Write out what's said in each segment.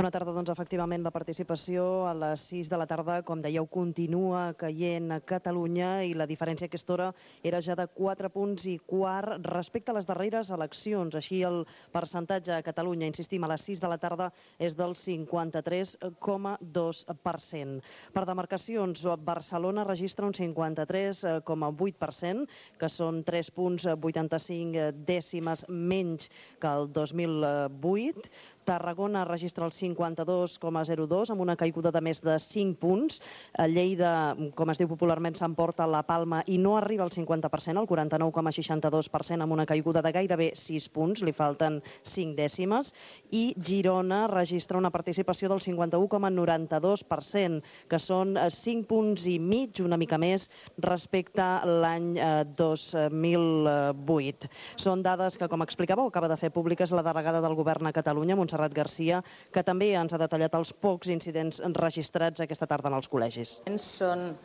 Bona tarda. Doncs efectivament la participació a les 6 de la tarda, com dèieu, continua caient a Catalunya i la diferència a aquesta hora era ja de 4 punts i quart respecte a les darreres eleccions. Així el percentatge a Catalunya, insistim, a les 6 de la tarda és del 53,2%. Per demarcacions, Barcelona registra un 53,8%, que són 3,85 dècimes menys que el 2008. Tarragona registra el 52,02, amb una caiguda de més de 5 punts. Lleida, com es diu popularment, s'emporta la palma i no arriba al 50%, al 49,62%, amb una caiguda de gairebé 6 punts, li falten 5 dècimes. I Girona registra una participació del 51,92%, que són 5 punts i mig, una mica més, respecte a l'any 2008. Són dades que, com explicàveu, acaba de fer públiques la delegada del Govern a Catalunya, Montserrat Garcia, que també ens ha detallat els pocs incidents registrats aquesta tarda en els col·legis. Són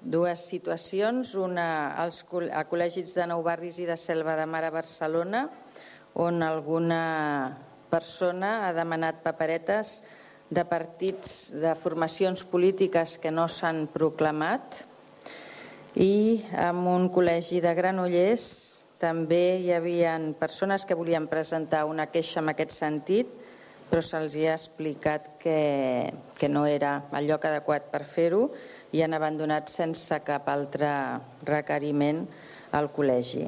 dues situacions, una a col·legis de Nou Barris i de Selva de Mar a Barcelona, on alguna persona ha demanat paperetes de partits de formacions polítiques que no s'han proclamat, i en un col·legi de Granollers també hi havia persones que volien presentar una queixa en aquest sentit, però se'ls ha explicat que no era el lloc adequat per fer-ho i han abandonat sense cap altre requeriment al col·legi.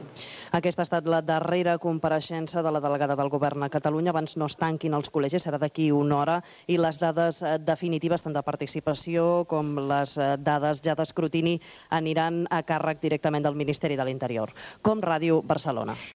Aquesta ha estat la darrera compareixença de la delegada del Govern a Catalunya. Abans no es tanquin els col·legis, serà d'aquí una hora, i les dades definitives, tant de participació com les dades ja d'escrutini, aniran a càrrec directament del Ministeri de l'Interior. Com Ràdio Barcelona.